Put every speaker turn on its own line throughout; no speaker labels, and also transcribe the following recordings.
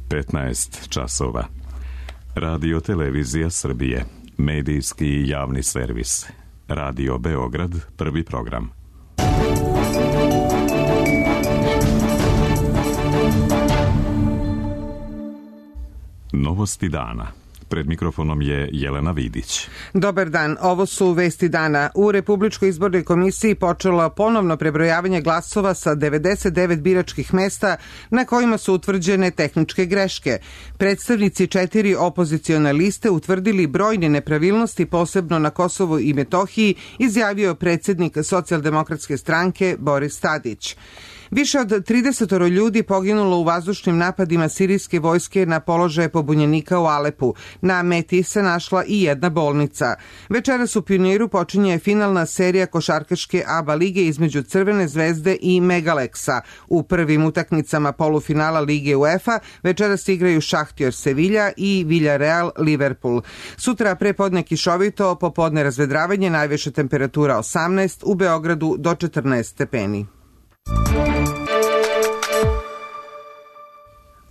15 časova. Radio Televizija Srbije, medijski i javni servis. Radio Beograd, prvi program. Novosti dana. Pred mikrofonom je Jelena Vidić.
Dobar dan, ovo su vesti dana. U Republičkoj izbornoj komisiji počelo ponovno prebrojavanje glasova sa 99 biračkih mesta na kojima su utvrđene tehničke greške. Predstavnici 4 opozicione liste utvrdili brojne nepravilnosti, posebno na Kosovu i Metohiji, izjavio predsjednik Socijaldemokratske stranke Boris Tadić. Više od 30 ljudi poginulo u vazdušnim napadima sirijske vojske na položaje pobunjenika u Alepu. Na meti se našla i jedna bolnica. Večeras u Pioniru počinje finalna serija košarkaške ABA lige između Crvene zvezde i Megaleksa. U prvim utakmicama polufinala lige UEFA večeras igraju Šahtjor Sevilja i Villarreal Liverpool. Sutra prepodne kišovito, popodne razvedravanje, najviša temperatura 18, u Beogradu do 14 stepeni.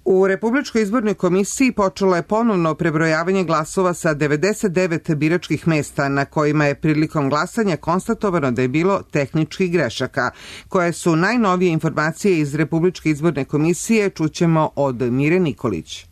U Republičkoj izbornoj komisiji počelo je ponovno prebrojavanje glasova sa 99 biračkih mesta na kojima je prilikom glasanja konstatovano da je bilo tehničkih grešaka. Koje su najnovije informacije iz Republičke izborne komisije, čućemo od Mire Nikolić.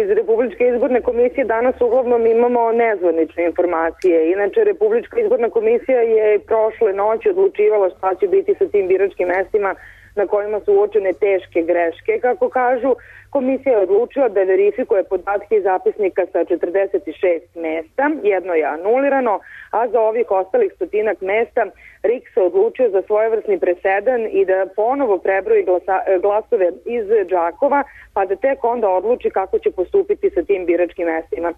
Iz Republičke izborne komisije danas uglavnom imamo nezvanične informacije. Inače, Republička izborna komisija je prošle noći odlučivala šta će biti sa tim biračkim mestima na kojima su uočene teške greške. Kako kažu, komisija je odlučila da verifikuje podatke iz zapisnika sa 46 mesta, jedno je anulirano, a za ovih ostalih stotinak mesta RIK se odlučio za svojevrsni presedan i da ponovo prebroji glasove iz Đakova, pa da tek onda odluči kako će postupiti sa tim biračkim mestima.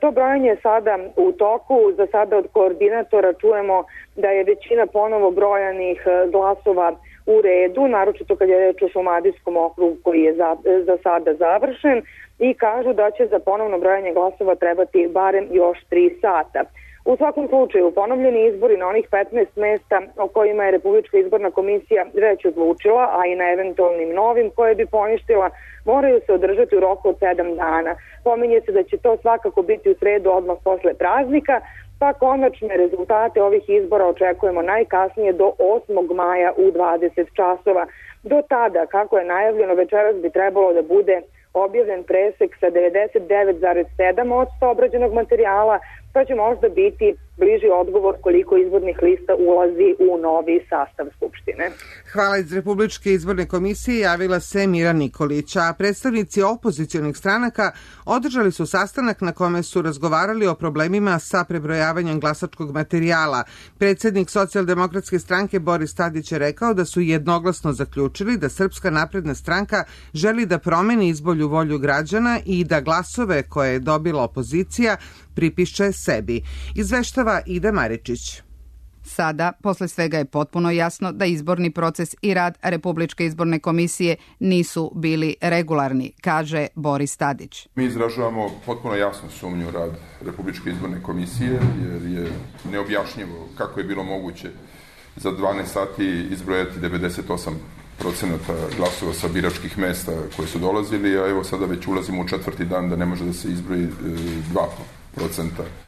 To brojanje je sada u toku. Za sada od koordinatora čujemo da je većina ponovo brojanih glasova u redu, naročito kad je reč o Šumadijskom okrugu koji je za sada završen, i kažu da će za ponovno brojanje glasova trebati barem još 3 sata. U svakom slučaju, ponovljeni izbori na onih 15 mesta o kojima je Republička izborna komisija već odlučila, a i na eventualnim novim koje bi poništila, moraju se održati u roku od 7 dana. Pominje se da će to svakako biti u sredu odmah posle praznika, pa konačne rezultate ovih izbora očekujemo najkasnije do 8. maja u 20 časova. Do tada, kako je najavljeno, večeras bi trebalo da bude objavljen presek sa 99,7% obrađenog materijala, pa će možda biti bliži odgovor koliko izbornih lista ulazi u novi sastav Skupštine.
Hvala. Iz Republičke izborne komisije javila se Mira Nikolić, a predstavnici opozicionih stranaka održali su sastanak na kome su razgovarali o problemima sa prebrojavanjem glasačkog materijala. Predsjednik Socijaldemokratske stranke Boris Tadić je rekao da su jednoglasno zaključili da Srpska napredna stranka želi da promeni izbolju volju građana i da glasove koje je dobila opozicija pripiše sebi. Izveštava Ida Maričić.
Sada, posle svega je potpuno jasno da izborni proces i rad Republičke izborne komisije nisu bili regularni, kaže Boris Tadić.
Mi izražavamo potpuno jasnu sumnju u rad Republičke izborne komisije, jer je neobjašnjivo kako je bilo moguće za 12 sati izbrojati 98% glasova sa biračkih mesta koje su dolazili, a evo sada već ulazimo u 4. dan da ne može da se izbroji 2%.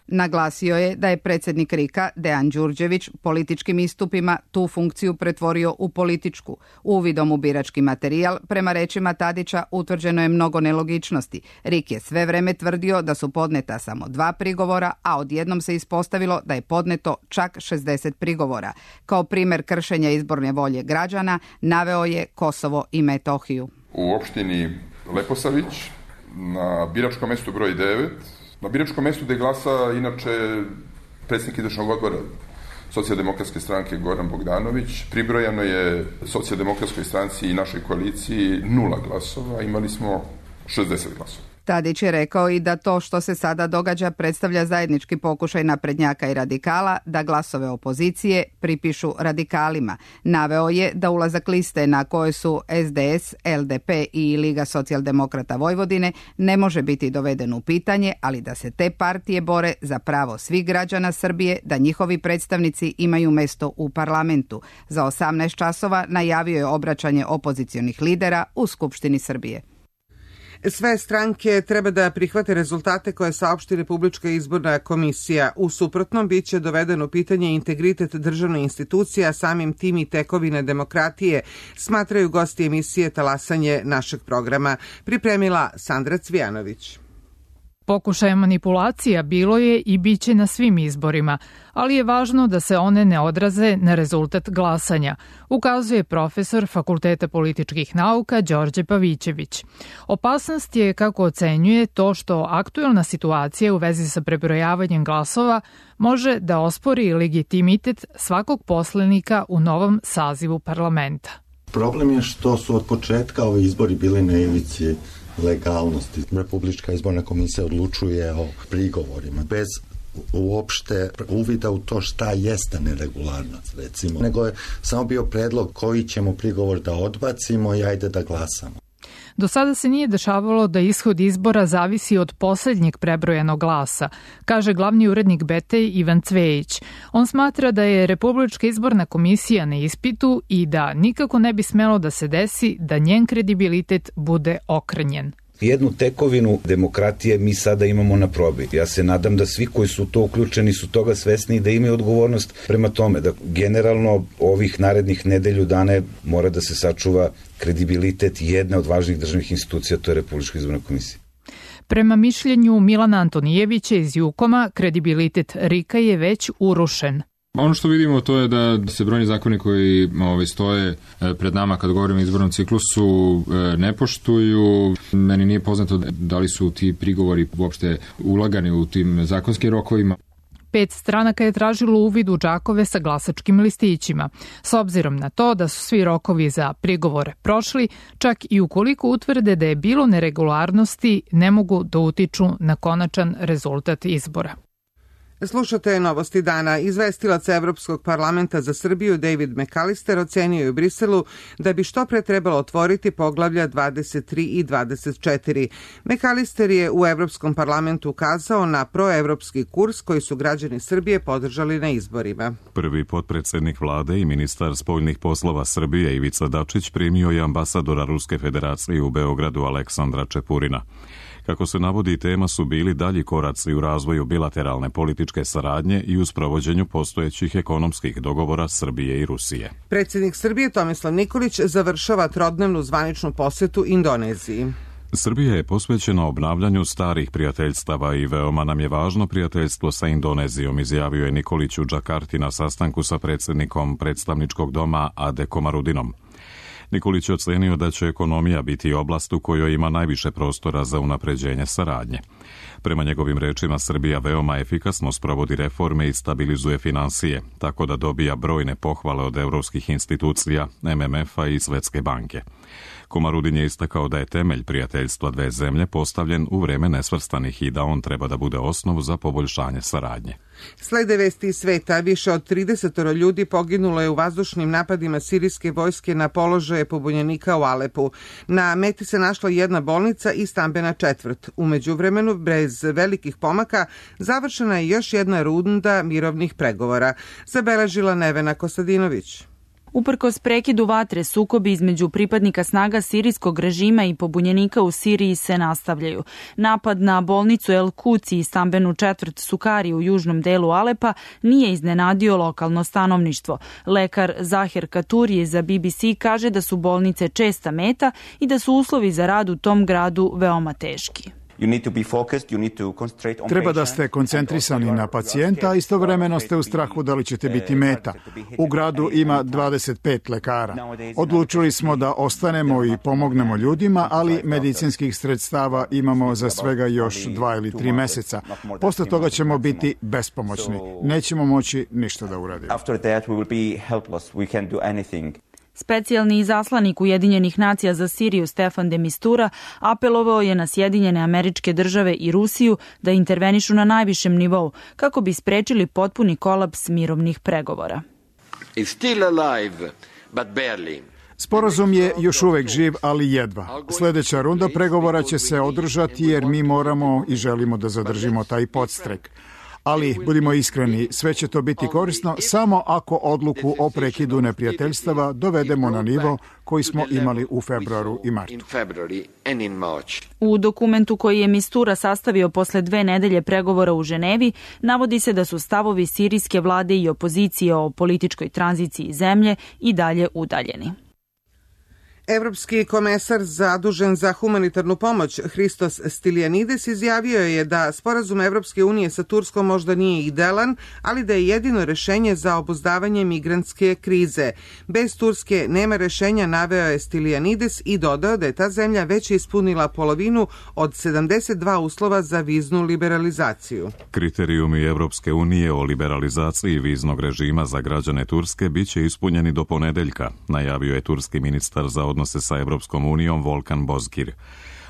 Naglasio je da je predsjednik RIK-a Dejan Đurđević političkim istupima tu funkciju pretvorio u političku. Uvidom u birački materijal, prema rečima Tadića, utvrđeno je mnogo nelogičnosti. RIK je sve vreme tvrdio da su podneta samo 2 prigovora, a odjednom se ispostavilo da je podneto čak 60 prigovora. Kao primjer kršenja izborne volje građana naveo je Kosovo i Metohiju.
U opštini Leposavić na biračkom mestu broj 9, na biračkom mestu gde glasa inače predsjednik izvršnog odbora Socijaldemokratske stranke Goran Bogdanović, pribrojano je Socijaldemokratskoj stranci i našoj koaliciji 0 glasova, imali smo 60 glasova.
Tadić je rekao i da to što se sada događa predstavlja zajednički pokušaj naprednjaka i radikala da glasove opozicije pripišu radikalima. Naveo je da ulazak liste na koje su SDS, LDP i Liga socijaldemokrata Vojvodine ne može biti doveden u pitanje, ali da se te partije bore za pravo svih građana Srbije da njihovi predstavnici imaju mesto u parlamentu. Za 18 časova najavio je obraćanje opozicionih lidera u Skupštini Srbije.
Sve stranke treba da prihvate rezultate koje saopšti Republička izborna komisija. U suprotnom biće doveden u pitanje integritet državne institucije, a samim tim i tekovine demokratije, smatraju gosti emisije Talasanje našeg programa. Pripremila Sandra Cvijanović.
Pokušaja manipulacija bilo je i biće na svim izborima, ali je važno da se one ne odraze na rezultat glasanja, ukazuje profesor Fakulteta političkih nauka Đorđe Pavićević. Opasnost je, kako ocenjuje, to što aktuelna situacija u vezi sa prebrojavanjem glasova može da ospori legitimitet svakog poslanika u novom sazivu parlamenta.
Problem je što su od početka ovi izbori bili na ivici legalnosti. Republička izborna komisija odlučuje o prigovorima bez uopšte uvida u to šta jeste neregularnost, recimo. Nego je samo bio predlog koji ćemo prigovor da odbacimo i ajde da glasamo.
Do sada se nije dešavalo da ishod izbora zavisi od poslednjeg prebrojenog glasa, kaže glavni urednik Betej Ivan Cvejić. On smatra da je Republička izborna komisija na ispitu i da nikako ne bi smelo da se desi da njen kredibilitet bude okrnjen.
Jednu tekovinu demokratije mi sada imamo na probi. Ja se nadam da svi koji su to uključeni su toga svesni i da imaju odgovornost prema tome. Da generalno ovih narednih nedelju dana mora da se sačuva kredibilitet jedne od važnih državnih institucija, to je Republička izborna komisija.
Prema mišljenju Milana Antonijevića iz Jukoma, kredibilitet RIK-a je već urušen.
Ono što vidimo to je da se brojni zakoni koji stoje pred nama kad govorimo o izbornom ciklusu ne poštuju. Meni nije poznato da li su ti prigovori uopšte ulagani u tim zakonskim rokovima.
5 stranaka je tražilo uvid u džakove sa glasačkim listićima. S obzirom na to da su svi rokovi za prigovore prošli, čak i ukoliko utvrde da je bilo neregularnosti, ne mogu da utiču na konačan rezultat izbora.
Slušate novosti dana. Izvestilac Evropskog parlamenta za Srbiju David McAllister ocenio je u Briselu da bi što pre trebalo otvoriti poglavlja 23 i 24. McAllister je u Evropskom parlamentu ukazao na proevropski kurs koji su građani Srbije podržali na izborima.
Prvi potpredsednik vlade i ministar spoljnih poslova Srbije Ivica Dačić primio je ambasadora Ruske federacije u Beogradu Aleksandra Čepurina. Kako se navodi, tema su bili dalji koraci u razvoju bilateralne političke saradnje i u sprovođenju postojećih ekonomskih dogovora Srbije i Rusije.
Predsjednik Srbije Tomislav Nikolić završava trodnevnu zvaničnu posetu Indoneziji.
Srbija je posvećena obnavljanju starih prijateljstava i veoma nam je važno prijateljstvo sa Indonezijom, izjavio je Nikolić u Džakarti na sastanku sa predsjednikom predstavničkog doma Ade Komarudinom. Nikolić je ocenio da će ekonomija biti oblast u kojoj ima najviše prostora za unapređenje saradnje. Prema njegovim rečima, Srbija veoma efikasno sprovodi reforme i stabilizuje finansije, tako da dobija brojne pohvale od evropskih institucija, MMF-a i Svetske banke. Komarudin je istakao da je temelj prijateljstva dve zemlje postavljen u vreme nesvrstanih i da on treba da bude osnov za poboljšanje saradnje.
Slede vesti iz sveta, više od 30 ljudi poginulo je u vazdušnim napadima sirijske vojske na položaje pobunjenika u Alepu. Na meti se našla jedna bolnica i stambena četvrt. U međuvremenu, bez velikih pomaka, završena je još jedna runda mirovnih pregovora, zabeležila Nevena Kostadinović.
Uprkos prekidu vatre, sukobi između pripadnika snaga sirijskog režima i pobunjenika u Siriji se nastavljaju. Napad na bolnicu El Kuci i stambenu četvrt Sukari u južnom delu Alepa nije iznenadio lokalno stanovništvo. Lekar Zaher Katuri za BBC kaže da su bolnice česta meta i da su uslovi za rad u tom gradu veoma teški.
Treba da ste koncentrisani na pacijenta, a istovremeno ste u strahu da li ćete biti meta. U gradu ima 25 lekara. Odlučili smo da ostanemo i pomognemo ljudima, ali medicinskih sredstava imamo za svega još 2 ili 3 meseca. Posle toga ćemo biti bespomoćni. Nećemo moći ništa da uradimo.
Specijalni izaslanik Ujedinjenih nacija za Siriju Stefan de Mistura apelovao je na Sjedinjene Američke Države i Rusiju da intervenišu na najvišem nivou kako bi sprečili potpuni kolaps mirovnih pregovora.
Sporazum je još uvek živ, ali jedva. Sljedeća runda pregovora će se održati jer mi moramo i želimo da zadržimo taj podstrek. Ali, budimo iskreni, sve će to biti korisno samo ako odluku o prekidu neprijateljstava dovedemo na nivo koji smo imali u februaru i martu.
U dokumentu koji je Mistura sastavio posle 2 nedelje pregovora u Ženevi, navodi se da su stavovi sirijske vlade i opozicije o političkoj tranziciji zemlje i dalje udaljeni.
Evropski komesar zadužen za humanitarnu pomoć Hristos Stylianides izjavio je da sporazum Evropske unije sa Turskom možda nije idealan, ali da je jedino rešenje za obuzdavanje migrantske krize. Bez Turske nema rešenja, naveo je Stylianides i dodao da je ta zemlja već ispunila polovinu od 72 uslova za viznu liberalizaciju.
Kriterijumi Evropske unije o liberalizaciji viznog režima za građane Turske biće ispunjeni do ponedeljka, najavio je turski ministar za odnose sa Evropskom unijom Volkan Bozkir.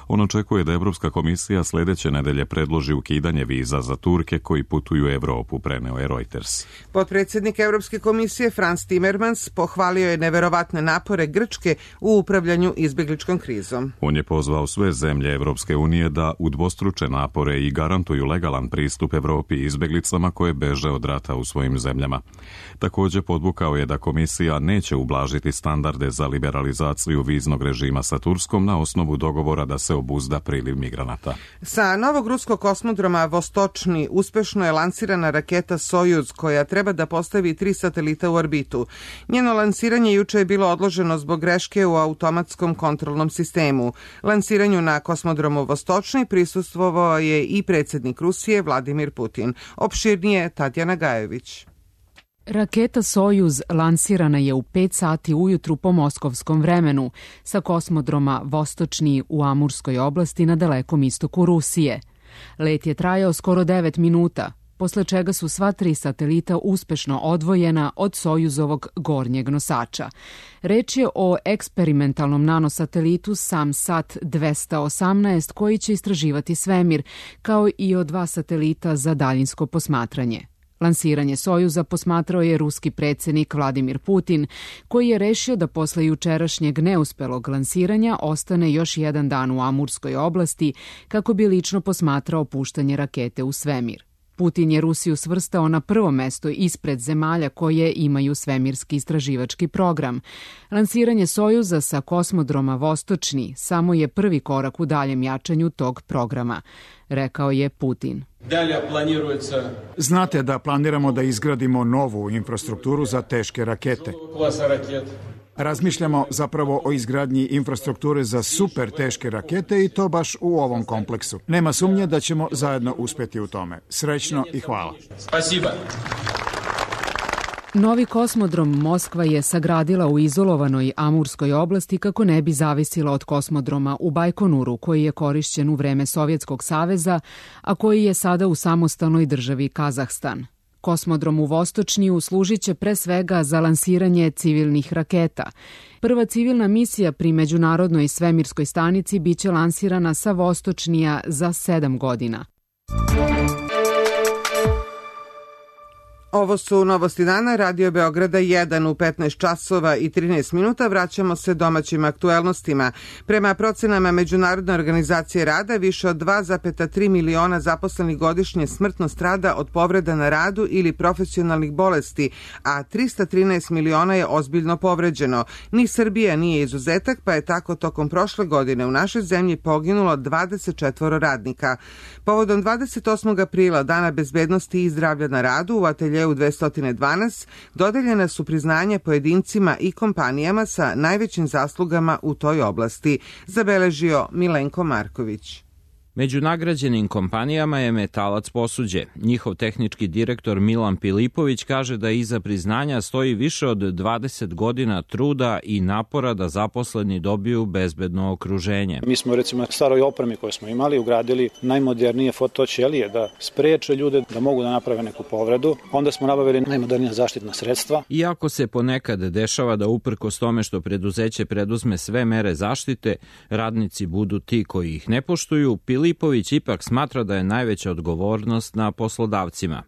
On očekuje da Evropska komisija sledeće nedelje predloži ukidanje viza za Turke koji putuju u Evropu, preneo je Reuters.
Potpredsjednik Evropske komisije Frans Timmermans pohvalio je neverovatne napore Grčke u upravljanju izbegličkom krizom.
On je pozvao sve zemlje Evropske unije da udvostruče napore i garantuju legalan pristup Evropi i izbeglicama koje beže od rata u svojim zemljama. Također podvukao je da komisija neće ublažiti standarde za liberalizaciju viznog režima sa Turskom na osnovu dogovora da se obuzda priliv migranata.
Sa novog ruskog kosmodroma Vostočni uspešno je lansirana raketa Sojuz koja treba da postavi 3 satelita u orbitu. Njeno lansiranje juče je bilo odloženo zbog greške u automatskom kontrolnom sistemu. Lansiranju na kosmodromu Vostočni prisustvovao je i predsjednik Rusije Vladimir Putin. Opširnije Tatjana Gajević.
Raketa Sojuz lansirana je u 5 sati ujutru po moskovskom vremenu sa kosmodroma Vostočni u Amurskoj oblasti na dalekom istoku Rusije. Let je trajao skoro 9 minuta, posle čega su sva 3 satelita uspešno odvojena od Sojuzovog gornjeg nosača. Reč je o eksperimentalnom nanosatelitu Samsat 218 koji će istraživati svemir, kao i o 2 satelita za daljinsko posmatranje. Lansiranje Sojuza posmatrao je ruski predsjednik Vladimir Putin, koji je rešio da posle jučerašnjeg neuspelog lansiranja ostane još jedan dan u Amurskoj oblasti kako bi lično posmatrao puštanje rakete u svemir. Putin je Rusiju svrstao na prvo mesto ispred zemalja koje imaju svemirski istraživački program. Lansiranje Sojuza sa kosmodroma Vostočni samo je prvi korak u daljem jačanju tog programa, rekao je Putin.
Znate da planiramo da izgradimo novu infrastrukturu za teške rakete. Razmišljamo zapravo o izgradnji infrastrukture za super teške rakete i to baš u ovom kompleksu. Nema sumnje da ćemo zajedno uspjeti u tome. Srećno i hvala.
Novi kosmodrom Moskva je sagradila u izolovanoj Amurskoj oblasti kako ne bi zavisila od kosmodroma u Bajkonuru koji je korišćen u vreme Sovjetskog saveza, a koji je sada u samostalnoj državi Kazahstan. Kosmodrom u Vostočniju služit će pre svega za lansiranje civilnih raketa. Prva civilna misija pri Međunarodnoj svemirskoj stanici biće lansirana sa Vostočnija za 7 godina.
Ovo su novosti dana, Radio Beograda 1 u 15 časova i 13 minuta. Vraćamo se domaćim aktuelnostima. Prema procenama Međunarodne organizacije rada, više od 2,3 miliona zaposlenih godišnje smrtno strada od povreda na radu ili profesionalnih bolesti, a 313 miliona je ozbiljno povređeno. Ni Srbija nije izuzetak, pa je tako tokom prošle godine u našoj zemlji poginulo 24 radnika. Povodom 28. aprila, Dana bezbednosti i zdravlja na radu, u ateljeju 212 dodeljena su priznanja pojedincima i kompanijama sa najvećim zaslugama u toj oblasti, zabeležio Milenko Marković.
Među nagrađenim kompanijama je Metalac Posuđe. Njihov tehnički direktor Milan Pilipović kaže da iza priznanja stoji više od 20 godina truda i napora da zaposleni dobiju bezbedno okruženje.
Mi smo recimo staroj opremi koju smo imali ugradili najmodernije fotoćelije da spreče ljude da mogu da naprave neku povredu. Onda smo nabavili najmodernija zaštitna sredstva.
Iako se ponekad dešava da uprkos tome što preduzeće preduzme sve mere zaštite, radnici budu ti koji ih ne poštuju, Filipović ipak smatra da je najveća odgovornost na poslodavcima.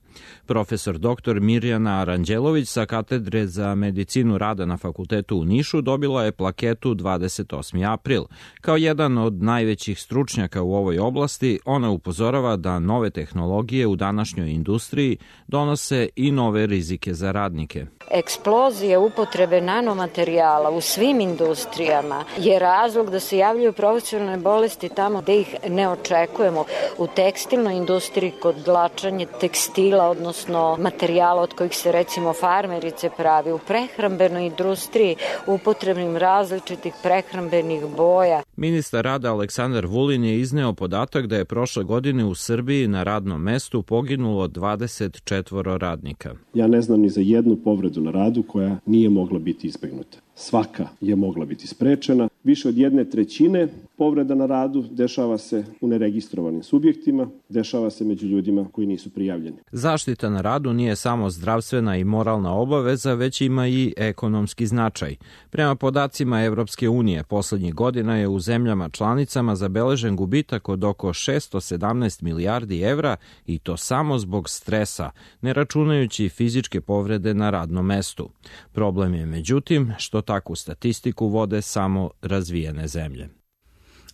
Profesor dr. Mirjana Aranđelović sa katedre za medicinu rada na fakultetu u Nišu dobila je plaketu 28. april. Kao jedan od najvećih stručnjaka u ovoj oblasti, ona upozorava da nove tehnologije u današnjoj industriji donose i nove rizike za radnike.
Eksplozija upotrebe nanomaterijala u svim industrijama je razlog da se javljaju profesionalne bolesti tamo gde ih ne očekujemo. U tekstilnoj industriji kod dlačanja tekstila, odnosno materijala od kojih se recimo farmerice pravi, u prehrambenoj industriji upotrebnim različitih prehrambenih boja.
Ministar rada Aleksandar Vulin je izneo podatak da je prošle godine u Srbiji na radnom mestu poginulo 24 radnika.
Ja ne znam ni za jednu povredu na radu koja nije mogla biti izbegnuta. Svaka je mogla biti sprečena. Više od 1/3 povreda na radu dešava se u neregistrovanim subjektima, dešava se među ljudima koji nisu prijavljeni.
Zaštita na radu nije samo zdravstvena i moralna obaveza, već ima i ekonomski značaj. Prema podacima Evropske unije, poslednjih godina je u zemljama članicama zabeležen gubitak od oko 617 milijardi evra i to samo zbog stresa, ne računajući fizičke povrede na radnom mestu. Problem je međutim što takvu statistiku vode samo razvijene zemlje.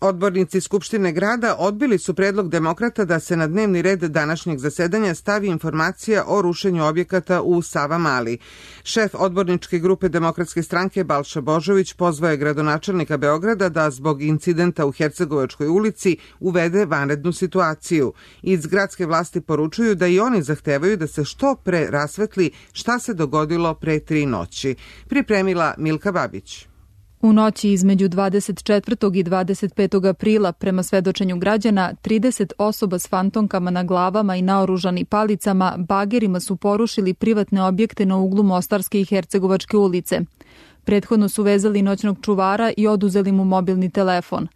Odbornici Skupštine grada odbili su predlog demokrata da se na dnevni red današnjeg zasedanja stavi informacija o rušenju objekata u Savamali. Šef odborničke grupe Demokratske stranke Balša Božović pozvao je gradonačelnika Beograda da zbog incidenta u Hercegovačkoj ulici uvede vanrednu situaciju. Iz gradske vlasti poručuju da i oni zahtevaju da se što pre rasvetli šta se dogodilo pre 3 noći. Pripremila Milka Babić.
U noći između 24. i 25. aprila, prema svedočenju građana, 30 osoba s fantomkama na glavama i naoružani palicama bagerima su porušili privatne objekte na uglu Mostarske i Hercegovačke ulice. Prethodno su vezali noćnog čuvara i oduzeli mu mobilni telefon.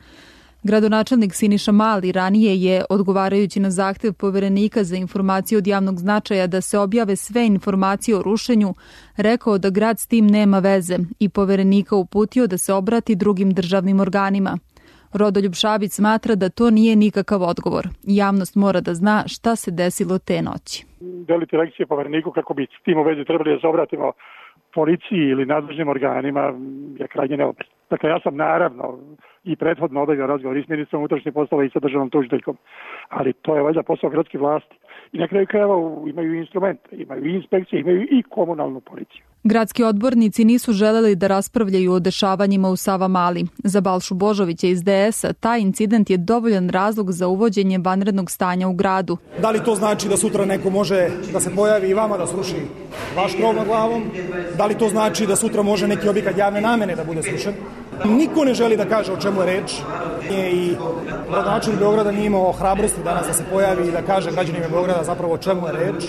Gradonačelnik Siniša Mali ranije je, odgovarajući na zahtev Poverenika za informacije od javnog značaja da se objave sve informacije o rušenju, rekao da grad s tim nema veze i Poverenika uputio da se obrati drugim državnim organima. Rodoljub Šabić smatra da to nije nikakav odgovor. Javnost mora da zna šta se desilo te noći.
Deliti lekcije Povereniku kako bi s tim u vezi trebali da se obratimo policiji ili nadležnim organima je krajnje neobično. Dakle, ja sam naravno i prethodno obavio razgovor i s ministrom unutrašnjih poslova i sa državnom tužiteljkom, ali to je valjda posao gradske vlasti. I na kraju krajeva imaju instrumente, imaju i inspekcije, imaju i komunalnu policiju.
Gradski odbornici nisu želeli da raspravljaju o dešavanjima u Savamali. Za Balšu Božovića iz DS-a taj incident je dovoljan razlog za uvođenje vanrednog stanja u gradu.
Da li to znači da sutra neko može da se pojavi i vama da sruši vaš krov nad glavom? Da li to znači da sutra može neki objekat javne namene da bude srušen? Niko ne želi da kaže o čemu je reč. I gradonačelnik Beograda nije imao hrabrosti danas da se pojavi i da kaže građanima Beograda zapravo o čemu je reč.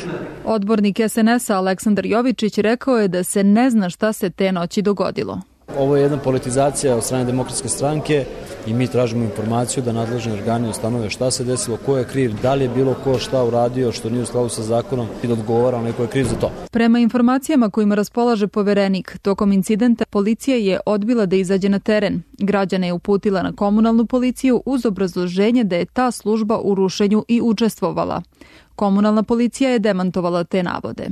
Odbornik SNS-a Aleksandar Jovičić rekao je da se ne zna šta se te noći dogodilo.
Ovo je jedna politizacija od strane Demokratske stranke i mi tražimo informaciju da nadležni organi ustanove šta se desilo, ko je kriv, da li je bilo ko šta uradio što nije u skladu sa zakonom i da odgovara onaj ko je kriv za to.
Prema informacijama kojima raspolaže Poverenik, tokom incidenta policija je odbila da izađe na teren. Građane je uputila na komunalnu policiju uz obrazloženje da je ta služba u rušenju i učestvovala. Komunalna policija je demantovala te navode.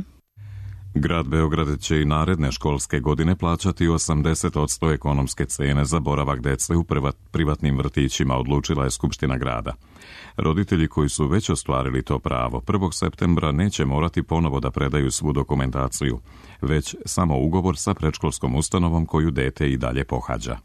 Grad Beograd će i naredne školske godine plaćati 80% ekonomske cene za boravak dece u privatnim vrtićima, odlučila je Skupština grada. Roditelji koji su već ostvarili to pravo 1. septembra neće morati ponovo da predaju svu dokumentaciju, već samo ugovor sa predškolskom ustanovom koju dete i dalje pohađa.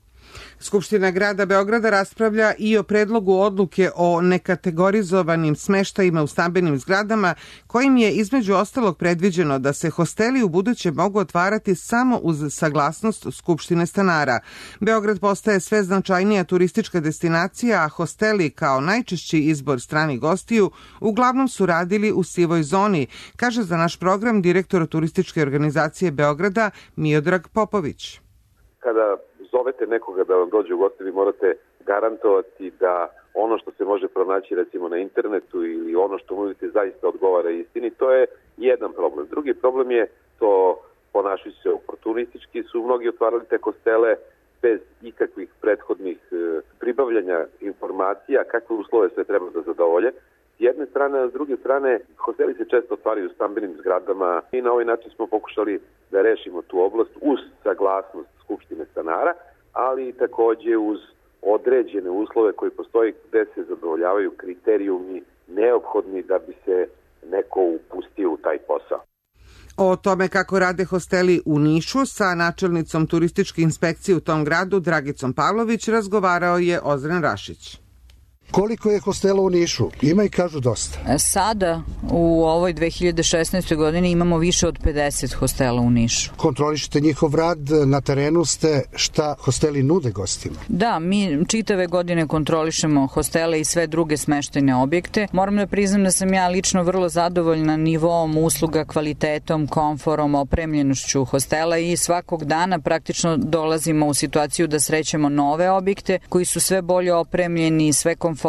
Skupština grada Beograda raspravlja i o predlogu odluke o nekategorizovanim smeštajima u stambenim zgradama, kojim je između ostalog predviđeno da se hosteli u buduće mogu otvarati samo uz saglasnost Skupštine stanara. Beograd postaje sve značajnija turistička destinacija, a hosteli kao najčešći izbor stranih gostiju uglavnom su radili u sivoj zoni, kaže za naš program direktor turističke organizacije Beograda Miodrag Popović.
Kada zovete nekoga da vam dođe u goste, vi morate garantovati da ono što se može pronaći recimo na internetu ili ono što nudite zaista odgovara istini. To je jedan problem. Drugi problem je to ponašajući se oportunistički su mnogi otvarali te hostele bez ikakvih prethodnih pribavljanja informacija, kakve uslove sve treba da zadovolje. s jedne strane, a s druge strane hosteli se često otvaraju u stambenim zgradama i na ovaj način smo pokušali da rešimo tu oblast uz saglasnost Skupštine stanara, ali takođe uz određene uslove koji postoji gde se zadovoljavaju kriterijumi neophodni da bi se neko upustio u taj posao.
O tome kako rade hosteli u Nišu sa načelnicom turističke inspekcije u tom gradu Dragicom Pavlović razgovarao je Ozren Rašić.
Koliko je hostela u Nišu? Ima i kažu dosta.
Sada, u ovoj 2016. godini imamo više od 50 hostela u Nišu.
Kontrolišete njihov rad, na terenu ste, šta hosteli nude gostima?
Da, mi čitave godine kontrolišemo hostele i sve druge smeštajne objekte. Moram da priznam da sam ja lično vrlo zadovoljna nivoom usluga, kvalitetom, komforom, opremljenošću hostela i svakog dana praktično dolazimo u situaciju da srećemo nove objekte koji su sve bolje opremljeni, sve komforniji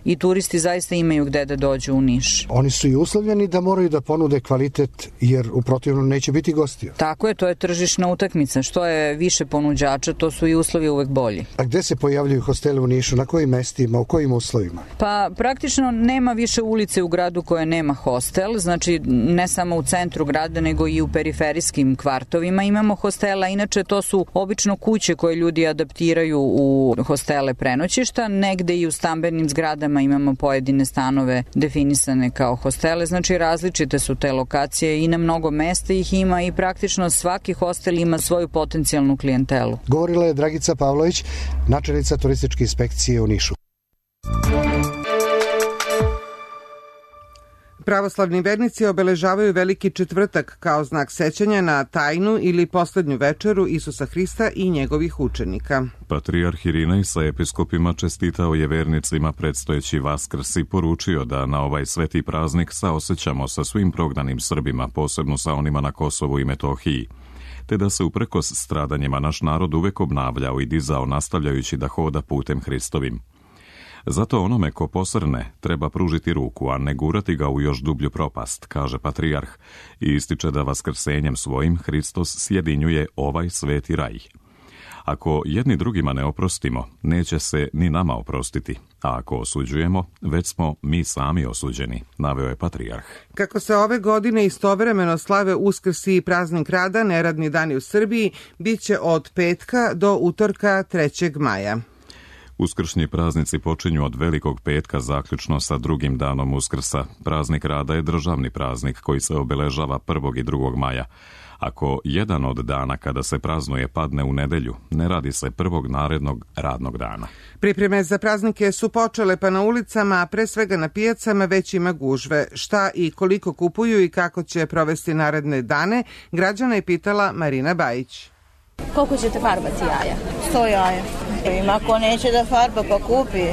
i turisti zaista imaju gde da dođu u Niš.
Oni su i uslovljeni da moraju da ponude kvalitet jer u protivnom neće biti gostiju.
Tako je, to je tržišna utakmica. Što je više ponuđača, to su i uslovi uvek bolji.
A gde se pojavljuju hosteli u Nišu? Na kojim mestima? U kojim uslovima?
Pa praktično nema više ulice u gradu koje nema hostel, znači ne samo u centru grada nego i u periferijskim kvartovima imamo hostela. Inače to su obično kuće koje ljudi adaptiraju u hostele prenoćišta, negde i u stambenim zgradama imamo pojedine stanove definisane kao hostele, znači različite su te lokacije i na mnogo mesta ih ima i praktično svaki hostel ima svoju potencijalnu klijentelu.
Govorila je Dragica Pavlović, načelnica turističke inspekcije u Nišu.
Pravoslavni vernici obeležavaju Veliki četvrtak kao znak sećanja na tajnu ili poslednju večeru Isusa Hrista i njegovih učenika.
Patrijarh Irinej sa episkopima čestitao je vernicima predstojeći Vaskrs i poručio da na ovaj sveti praznik saosećamo sa svim prognanim Srbima, posebno sa onima na Kosovu i Metohiji, te da se uprkos stradanjima naš narod uvek obnavljao i dizao nastavljajući da hoda putem Hristovim. Zato onome ko posrne treba pružiti ruku, a ne gurati ga u još dublju propast, kaže patrijarh i ističe da vaskrsenjem svojim Hristos sjedinjuje ovaj sveti raj. Ako jedni drugima ne oprostimo, neće se ni nama oprostiti, a ako osuđujemo, već smo mi sami osuđeni, naveo je patrijarh.
Kako se ove godine istovremeno slave Uskrs i praznik rada, neradni dani u Srbiji biće od petka do utorka 3. maja.
Uskršnji praznici počinju od Velikog petka zaključno sa drugim danom Uskrsa. Praznik rada je državni praznik koji se obeležava 1. i 2. maja. Ako jedan od dana kada se praznuje padne u nedelju, ne radi se prvog narednog radnog dana.
Pripreme za praznike su počele, pa na ulicama, a pre svega na pijacama već ima gužve. Šta i koliko kupuju i kako će provesti naredne dane, građana je pitala Marina Bajić.
Koliko ćete farbati jaja?
100 jaja. Ima ko neće da farba pa kupi.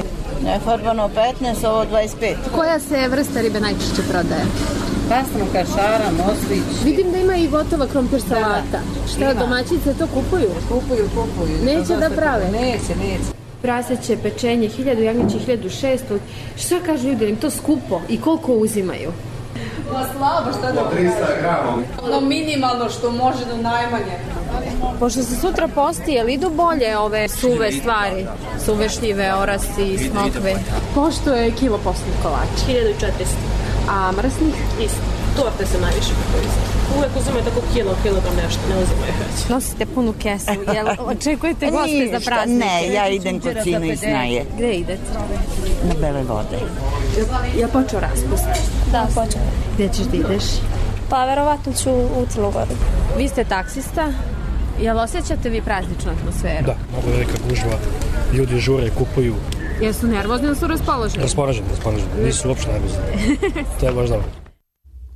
Nefarbano 15, ovo 25.
Koja se vrsta ribe najčešće prodaje?
Pastrnka, šara, moslić.
Vidim da ima i gotova krompir salata. Šta, domaćice to kupuju?
Kupuju.
Neće da prave?
Neće.
Praseće, pečenje, 1000, jagnjeće 1600. Šta kažu ljudi, im to skupo i koliko uzimaju?
Pa slabo, šta da
300 grama.
Ono minimalno što može do najmanje.
Pošto se sutra posti, jel idu bolje ove suve stvari? Suve šljive, orasi, smokve. Pošto je kilo postnih kolača?
1400.
A mrsnih?
Isto. Torte se najviše koriste. Uvek uzimaju tako kilogram nešto, ne uzimaju već.
Nosite punu kesu, jel očekujete goste za praznike?
Ne, ja idem kod sinu iz Snaje.
Gde idete?
Na Bele vode.
Ja počeo raspust?
Da, počeo.
Gde ćeš da ideš?
Pa verovatno ću u Crnu Goru.
Vi ste taksista? Jel osjećate vi prazničnu atmosferu?
Da, mnogo velika gužva, ljudi žure, kupuju.
Jesu nervozni ili su raspoloženi?
Raspoloženi, nisu uopšte nervozni. To je baš dobro.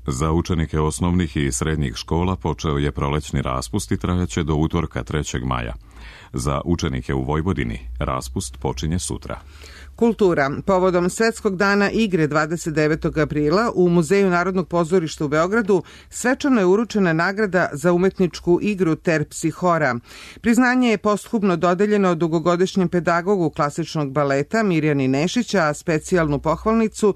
Za učenike osnovnih i srednjih škola počeo je prolećni raspust i trajaće do utorka 3. maja. Za učenike u Vojvodini raspust počinje sutra.
Kultura. Povodom Svetskog dana igre 29. aprila u Muzeju Narodnog pozorišta u Beogradu svečano je uručena nagrada za umetničku igru Terpsihora. Priznanje je posthumno dodeljeno dugogodišnjem pedagogu klasičnog baleta Mirjani Nešića, a specijalnu pohvalnicu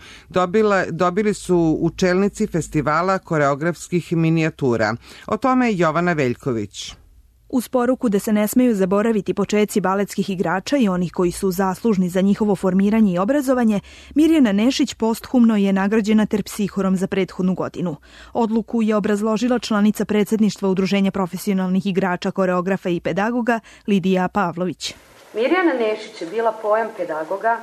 dobili su učelnici festivala koreografskih minijatura. O tome Jovana Veljković.
Uz poruku da se ne smeju zaboraviti počeci baletskih igrača i onih koji su zaslužni za njihovo formiranje i obrazovanje, Mirjana Nešić posthumno je nagrađena terpsihorom za prethodnu godinu. Odluku je obrazložila članica predsjedništva Udruženja profesionalnih igrača, koreografa i pedagoga Lidija Pavlović.
Mirjana Nešić je bila pojam pedagoga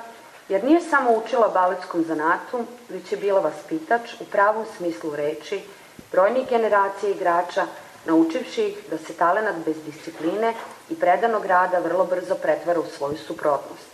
jer nije samo učila baletskom zanatu, već je bila vaspitač u pravom smislu reči brojnih generacija igrača, naučivši ih da se talenat bez discipline i predanog rada vrlo brzo pretvara u svoju suprotnost,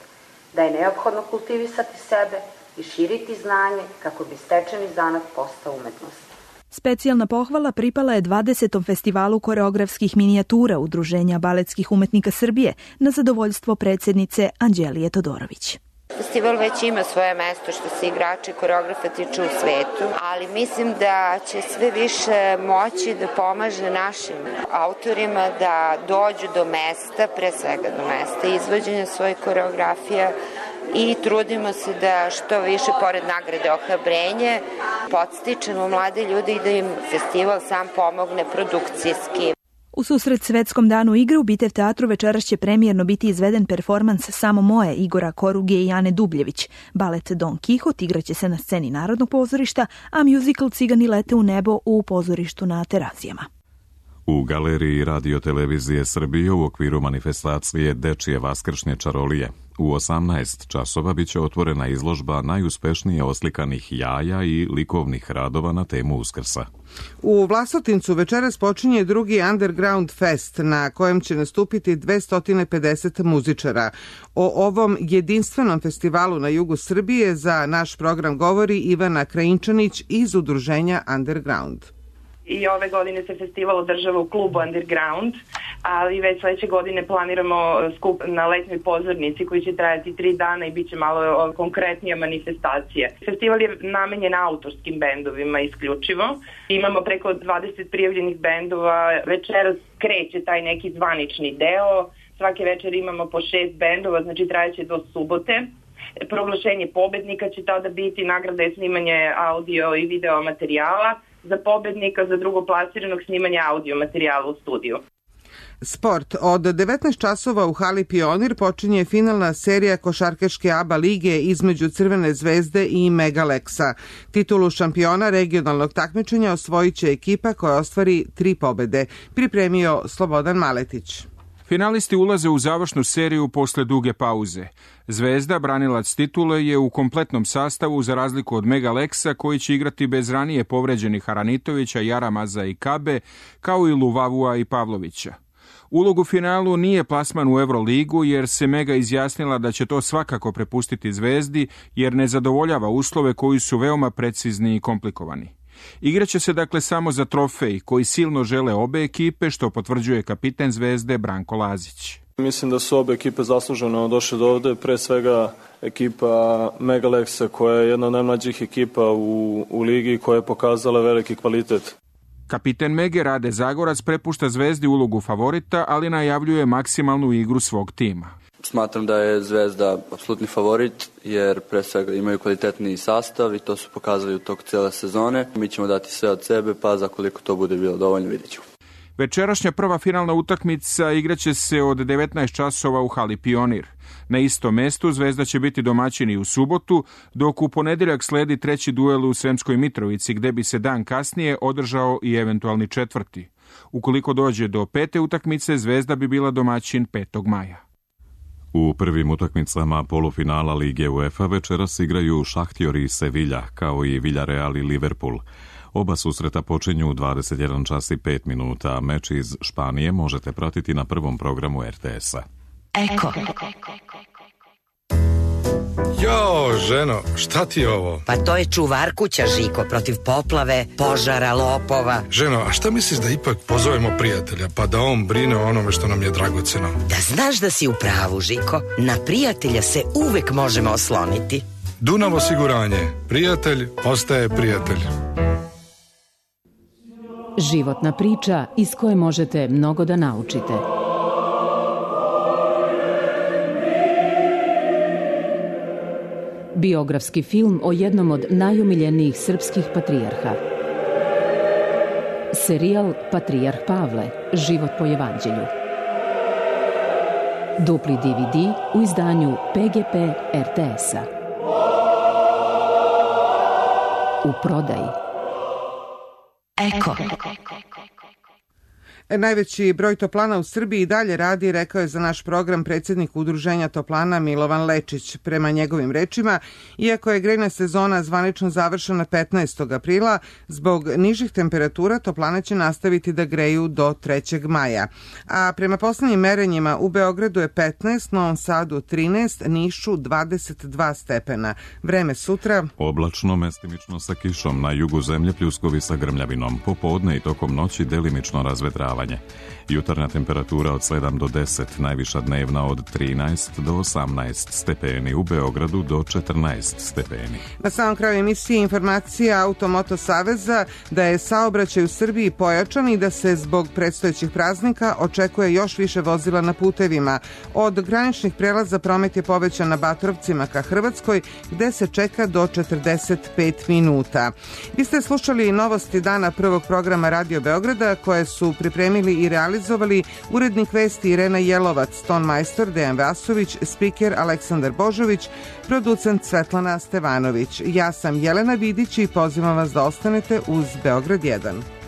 da je neophodno kultivisati sebe i širiti znanje kako bi stečeni zanat postao umetnost.
Specijalna pohvala pripala je 20. festivalu koreografskih minijatura Udruženja baletskih umetnika Srbije na zadovoljstvo predsjednice Anđelije Todorović.
Festival već ima svoje mesto što se igrača i koreografa tiče u svetu, ali mislim da će sve više moći da pomaže našim autorima da dođu do mesta, pre svega do mesta izvođenja svojih koreografija i trudimo se da što više, pored nagrade Ohrabrenje, podstičemo mlade ljude i da im festival sam pomogne produkcijski.
U susret Svetskom danu igre u Bitev teatru večeras će premijerno biti izveden performans Samo moje Igora Koruge i Ane Dubljević. Balet Don Kihot igraće se na sceni Narodnog pozorišta, a musical Cigani lete u nebo u pozorištu na Terazijama.
U galeriji Radio-televizije Srbije u okviru manifestacije Dečije vaskršnje čarolije u 18 časova biće otvorena izložba najuspešnije oslikanih jaja i likovnih radova na temu Uskrsa.
U Vlasotincu večeras počinje drugi Underground Fest na kojem će nastupiti 250 muzičara. O ovom jedinstvenom festivalu na jugu Srbije za naš program govori Ivana Krajinčanić iz udruženja Underground.
I ove godine se festival održava u klubu Underground, ali već sledeće godine planiramo skup na letnjoj pozornici koji će trajati 3 dana i bit će malo konkretnija manifestacija. Festival je namenjen autorskim bendovima isključivo. Imamo preko 20 prijavljenih bendova. Večeras kreće taj neki zvanični deo. Svake večer imamo po 6 bendova, znači trajeće do subote. Proglašenje pobednika će tada biti, nagrada je snimanje audio i video materijala. Za pobednika, za drugoplasiranog snimanja audio materijala u studiju.
Sport. Od 19 časova u hali Pionir počinje finalna serija košarkaške ABA lige između Crvene zvezde i Megaleksa. Titulu šampiona regionalnog takmičenja osvojit će ekipa koja ostvari 3 pobede. Pripremio Slobodan Maletić.
Finalisti ulaze u završnu seriju posle duge pauze. Zvezda, branilac titule, je u kompletnom sastavu za razliku od Megaleksa koji će igrati bez ranije povređenih Aranitovića, Jaramaza i Kabe, kao i Luvavua i Pavlovića. Ulog u finalu nije plasman u Euroligu jer se Mega izjasnila da će to svakako prepustiti Zvezdi jer ne zadovoljava uslove koji su veoma precizni i komplikovani. Igraće se dakle samo za trofej koji silno žele obe ekipe, što potvrđuje kapiten Zvezde Branko Lazić.
Mislim da su obe ekipe zasluženo došle do ovde, pre svega ekipa Megaleksa koja je jedna od najmlađih ekipa u ligi koja je pokazala veliki kvalitet.
Kapiten Mege Rade Zagorac prepušta Zvezdi ulogu favorita, ali najavljuje maksimalnu igru svog tima.
Smatram da je Zvezda apsolutni favorit jer pre svega imaju kvalitetni sastav i to su pokazali u toku cijele sezone. Mi ćemo dati sve od sebe, pa za koliko to bude bilo dovoljno vidjet ćemo.
Večerašnja prva finalna utakmica igraće se od 19 časova u hali Pionir. Na istom mestu Zvezda će biti domaćin i u subotu, dok u ponedjeljak sledi treći duel u Sremskoj Mitrovici, gde bi se dan kasnije održao i eventualni četvrti. Ukoliko dođe do 5. utakmice, Zvezda bi bila domaćin 5. maja.
U prvim utakmicama polufinala Lige UEFA večeras igraju Šahtjor i Sevilla, kao i Villarreal i Liverpool. Oba susreta počinju u 21 čas i 5 minuta, a meč iz Španije možete pratiti na prvom programu RTS-a.
Eko.
Jo, ženo, šta ti je ovo?
Pa to je čuvar kuća, Žiko, protiv poplave, požara, lopova.
Ženo, a šta misliš da ipak pozovemo prijatelja, pa da on brine o onome što nam je dragoceno?
Da znaš da si u pravu, Žiko, na prijatelja se uvek možemo osloniti.
Dunav osiguranje, prijatelj ostaje prijatelj.
Životna priča iz koje možete mnogo da naučite. Biografski film o jednom od najomiljenijih srpskih patrijarha. Serijal Patrijarh Pavle, život po evanđelju.
Dupli DVD u izdanju PGP RTS-a. U prodaji.
Eko.
Najveći broj toplana u Srbiji i dalje radi, rekao je za naš program predsjednik Udruženja toplana Milovan Lečić. Prema njegovim rečima, iako je grejna sezona zvanično završena 15. aprila, zbog nižih temperatura toplane će nastaviti da greju do 3. maja. A prema poslednjim merenjima u Beogradu je 15, Novom Sadu 13, Nišu 22 stepena. Vreme sutra.
Oblačno, mestimično sa kišom, na jugu zemlje pljuskovi sa grmljavinom. Popodne i tokom noći delimično razvedravanje. Jutarnja temperatura od 7 do 10, najviša dnevna od 13 do 18 stepeni, u Beogradu do 14 stepeni.
Na samom kraju emisije informacija Automoto Saveza da je saobraćaj u Srbiji pojačan i da se zbog predstojećih praznika očekuje još više vozila na putevima. Od graničnih prelaza promet je povećan na Batrovcima ka Hrvatskoj, gde se čeka do 45 minuta. Vi ste slušali novosti dana prvog programa Radio Beograda, koje su pripremili i realizovali urednik vesti Irena Jelovac, ton majstor Dejan Vasović, spiker Aleksandar Božović, producent Svetlana Stevanović. Ja sam Jelena Vidić i pozivam vas da ostanete uz Beograd 1.